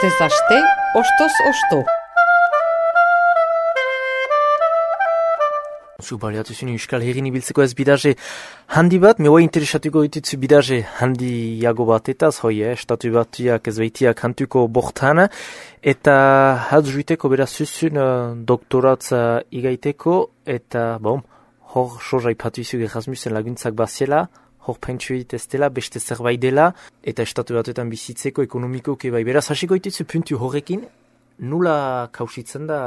Astez aste, ostoz osto. Zu baliatuzun Euskal Herrin ibiltzeko ez bidaje handi bat, meua interesatuko ditutzu bidaje handiago batetaz, estatu batuak ez behitiak hantuko bortana, eta hatz juiteko beraz zuzun doktoratza igaiteko, eta hor sorra ipatu izu Erasmusen laguntzak baziela, hor pentsuit ez dela, beste zerbait dela, eta estatu batuetan bizitzeko ekonomikoke bai. Beraz hasiko ditutzu puntu horrekin, nula kausitzen da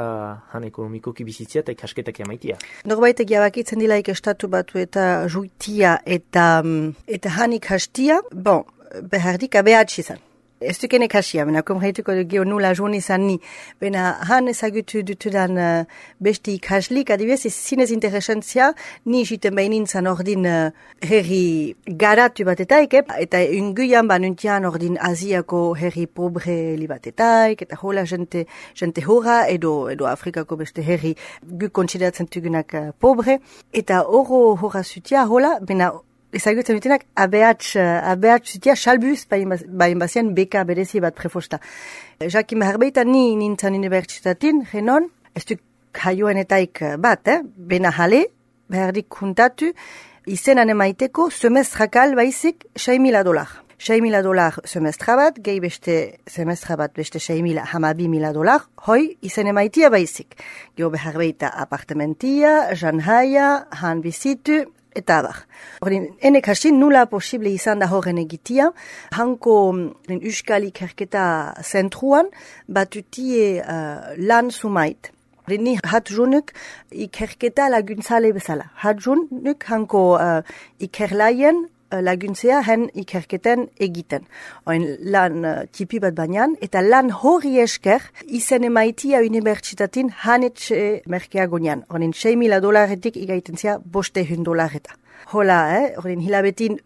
han ekonomikoki bizitzia eta ikasketak emaitia? Norbaitek jabakitzen dilaik estatu batu eta juitia eta han ikastia, behardik abehatsi izan. Ez duken ikasia, bena komreituko dugu nula joan izan ni. Bena han ezagutu dutudan besti ikaslik, adibidez, zinez interesentzia, ni jiten behinintzan ordin herri garatu batetaik, eta unguian banuntian ordin Aziako herri pobre li batetaik, eta hola jente hora, edo Afrikako beste herri gu konsideratzen tugunak pobre, eta hora zutia hola, bena ezagutzen dutenak abehatz zutia salbuz bain bazien beka berezi bat prefosta. Jakin beharbeita ni nintzen unibertsitatin, genon, ez du kaioenetaik bat, bena jale, behardik kuntatu, izenan emaiteko semestrakal baizik $6,000. $6,000 semestra bat, gehi beste semestra bat beste $6,000, hoi izen emaitia baizik. Geo beharbeita apartamentia, janhaia, han bizitu, eta abar. Enek hasin nula posible izan da horren egitia. Hanko Euskal Ikerketa zentruan batutie lan sumait. Ni hatjunuk ikerketa laguntzale bezala. Hatjunuk hanko ikerlaien laguntzea hen ikerketen egiten. Oin lan tipi bat bainan, eta lan hori esker izen emaitia unibertsitatin hanetxe merkeagonian. Oin $6,000 igaiten zia $500. Hola, oin hilabetin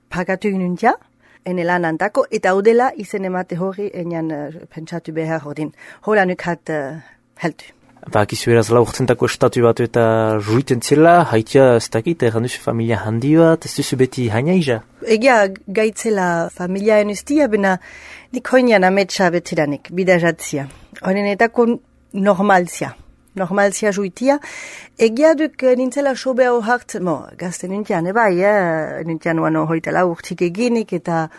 pagatu ginuntia, ene lan antako, eta odela izen emate hori enian pentsatu behar ordin. Hola nuk hat heltu. Bakizu eraz laurtzentako estatu batu eta juiten zela, haitia ez dakit, erranduzu familia handi bat, ez duzu beti haina iza? Egia gaitzela familia enustia, bena nik hoinan ametsa betiranik, bidajatzia. Honenetako normalzia juitia. Egia duk nintzela sobea hohartzen, gazten nintian, nintian uano hoitela urtik eginik, eta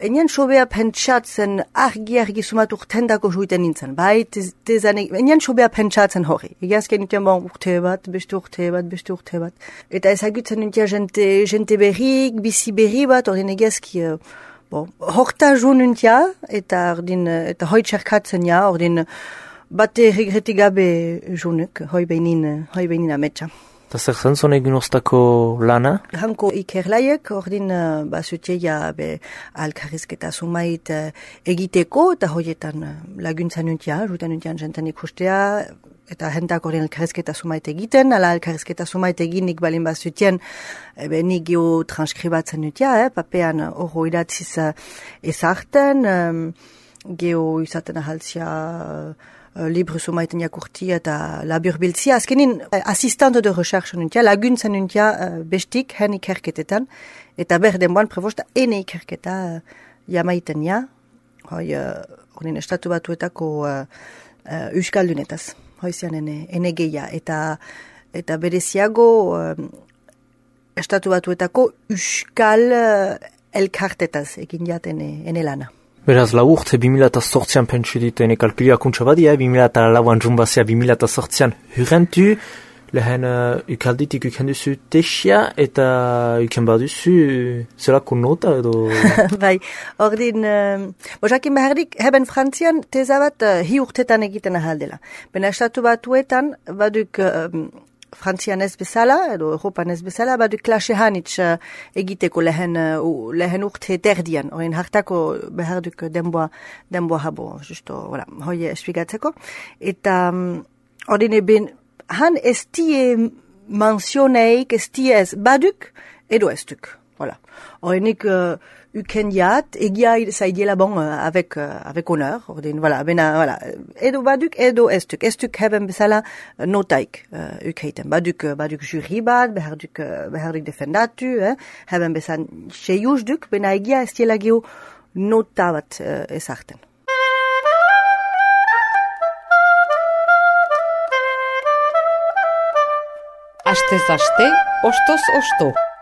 enian sobea pentsatzen argi sumat urtendako juiten nintzen. Enian sobea pentsatzen hori. Egiazken nintian urte bat. Eta ezagutzen nintia jente berrik, bizi berri bat, ordin egiazki horta ju nintia, eta hoi txerkatzen ja, ordin bate regreti gabe junuk, hoi beinin ametsa. Eta zer zen zon egin oztako lana? Hanko ikerlaiek, ordin basutia alkarrizketa sumait egiteko, eta hoietan laguntzan nuntia, jutan nuntian jenten ikustea, eta hentak ordin alkarrizketa sumait egiten, ala alkarrizketa sumait eginik balin basutien, nik geho transkribatzen nuntia, papean horro idatziz ezarten, geho izaten ahaltzia libru sumaiten jakurtia eta labur biltzia. Azkenin, asistante de recherche nuntia, laguntzen nuntia bestik, hen ikerketetan, eta berdenboan prevosta ene ikerketa jamaiten ja, ordin estatu batuetako euskaldunetaz, hoizian ene geia, eta bereziago estatu batuetako euskal elkartetaz egin jaten ene lana. Beraz, lau urte 2008an pentsu ditu ene kalkulia kuntza badia, 2008an junbazia 2008an hurrentu, lehen ukalditik ukenduzu tesia eta uken baduzu zelako nota edo? Bai, ordin, jakin behardik, heben Frantzian teza bat hi urtetan egiten ahaldela. Bena estatu batuetan baduk Frantzian ez bezala, edo Europan ez bezala, baduk klase hanitz egiteko lehen urte terdian, horien hartako beharduk denboa habo, justo, hoi espligatzeko. Eta ordine ben, han ez tie mensioneik, ez tie ez baduk, edo ez duk. Horienik uken jat, egia zaidiela avec honneur, ordin, edo baduk, edo ez duk heben bezala notaik ukeiten. Baduk juri bat, beharduk defendatu, heben bezan seiuz duk, bena egia ez diela geho nota bat ezarten. Astez aste, ostoz osto.